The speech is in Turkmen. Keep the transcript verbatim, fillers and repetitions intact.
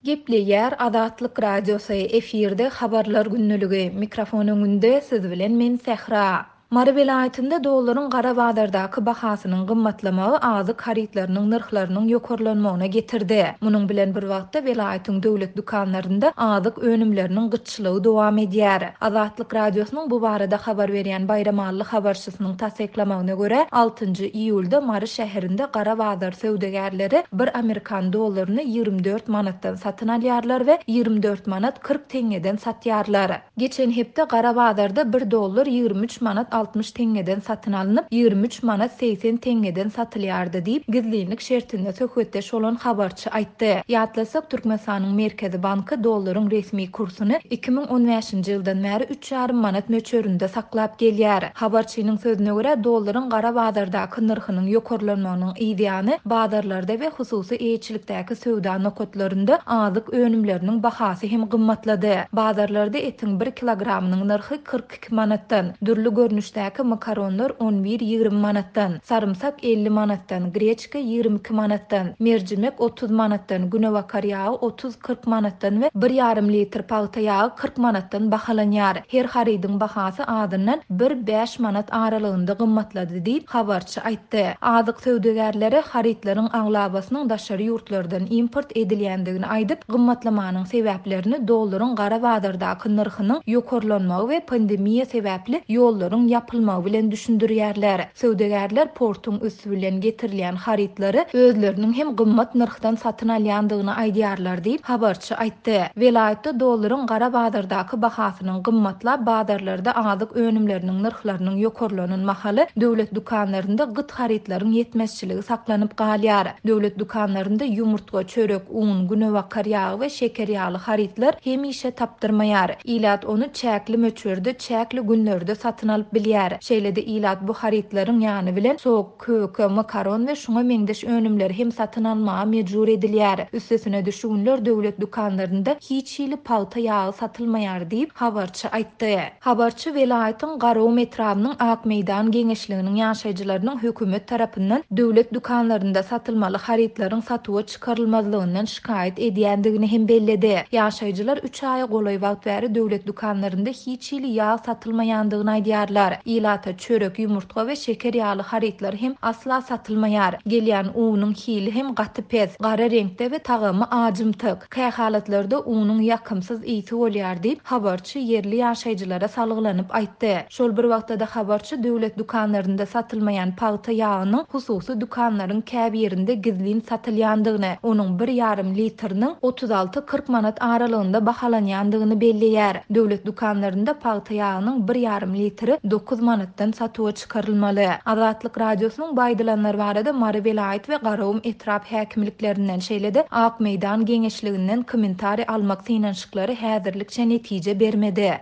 Gepleýär Azatlyk Radiosy, efirde Habarlar gündeligi, mikrofon öňünde siz bilen men Sähra. Mary welaýatynda dollaryň gara bazardaky bahasynyň gymmatlamagy azyk harytlarynyň nyrhlarynyň ýokarlanmagyna getirdi. Munuň bilen bir wagtda welaýatyň döwlet dükanlarynda azyk önümleriniň gytçylygy dowam edýär. Azatlyk Radiosynyň bu barada habar berýän Baýramally habarçysynyň tassyklamagyna görä, altynjy iýulda Mary şäherinde gara bazar söwdagärleri bir amerikan dollaryny ýigrimi dört manatdan satyn alýarlar we ýigrimi dört manat kyrk teňňeden satýarlar. Geçen hepde gara bazarda bir dollar ýigrimi üç manat altmyş teňňeden satyn alnyp, ýigrimi üç manat segsen teňňeden satylýardy diýip, gizlinlik şertinde söhbetdeş bolan habarçy aýtdy. Ýatlasak, Türkmenistanyň Merkezi Banky dollaryň resmi kursuny iki müň on bäşinji ýyldan bäri üç ýarym manat möçberinde saklap gelýär. Habarçynyň sözüne görä, dollaryň gara bazardaky nyrhynyň ýokarlanmagynyň yzýany bazarlarda we hususy eýeçilikdäki söwda nokatlarynda azyk önümleriniň bahasy hem gymmatlady. Bazarlarda etiň bir kilogramynyň nyrhy kyrk iki manatdan, dürli görnüşdäki makaronlar on bir ýigrimi manatdan, sarymsak elli manatdan, greçka ýigrimi iki manatdan, merjimek otuz manatdan, günebakar ýagy otuz kyrk manatdan we bir ýarym litr pagta ýagy kyrk manatdan bahalanýar. Her harydyň bahasy azyndan bir bäş manat aralygynda gymmatlady diýip habarçy aýtdy. Azyk söwdagärleri harytlaryň aglabasynyň daşary ýurtlardan import edilýändigini aýdyp, gymmatlamanyň sebäplerini dollaryň gara bazardaky nyrhynyň ýokarlanmagy we pandemiýa sebäpli ýollaryň ýapylmagy bilen düşündirýärler. Söwdagärler portuň üsti bilen getirilýän harytlary özleriniň hem gymmat nyrhdan satyn alýandygyny aýdýarlar diýip habarçy aýtdy. Welaýatda dollaryň gara bazardaky bahasynyň gymmatlap bazarlarda azyk önümleriniň nyrhlarynyň ýokarlanan mahaly döwlet dükanlarynda gyt harytlaryň ýetmezçiligi saklanyp galýar. Döwlet dükanlarynda ýumurtga, çörek, un, günebakar ýagy we şeker ýaly harytlar hemişe tapdyrmaýar. Ilat ony çäkli möçberde çäkli günlerde satyn alyp bilýär. Şeýle-de ilat bu harytlaryň ýany bilen sok, köke, makaron we şuňa meňzeş önümleri hem satyn almaga mejbur edilýär. Üstesine şu günler döwlet dükanlarynda hiç hili pagta ýagy satylmaýar diýip habarçy aýtdy. Habarçy welaýatyň Garagum etrabynyň Ak meýdan geňeşliginiň ýaşaýjylarynyň hökümet tarapyndan döwlet dükanlarynda satylmaly harytlaryň satuwa çykarylmazlygyndan şikaýat edýändigini hem belledi. Ýaşaýjylar üç aýa golaý wagt bäri döwlet dükanlarynda hiç hili ýag satylmaýandygyny aýdýarlar. Ilata çörek, ýumurtga we şeker ýaly harytlar hem asla satylmaýar. Gelýän unuň hili hem gaty pes, gara reňkde we tagamy ajymtyk. Kähalatlarda unuň ýakymsyz ysy bolýar diýip habarçy ýerli ýaşaýjylara salgylanyp aýtdy. Şol bir wagtda da habarçy döwlet dükanlarynda satylmaýan pagta ýagynyň hususy dükanlaryň käbirinde gizlin satylýandygyny, onuň bir ýarym litriniň otuz alty kyrk manat aralygynda bahalanýandygyny belleýär. Döwlet dükanlarynda pagta ýagynyň bir ýarym litri dokuz manatdan satuwa çykarylmaly. Azatlyk Radiosynyň baýdylanlar barada Mary welaýat we Garagum etrap häkimliklerinden şeýle-de Ak meýdan geňeşliginden kommentariý almak synanyşyklary häzirlikçe netije bermedi.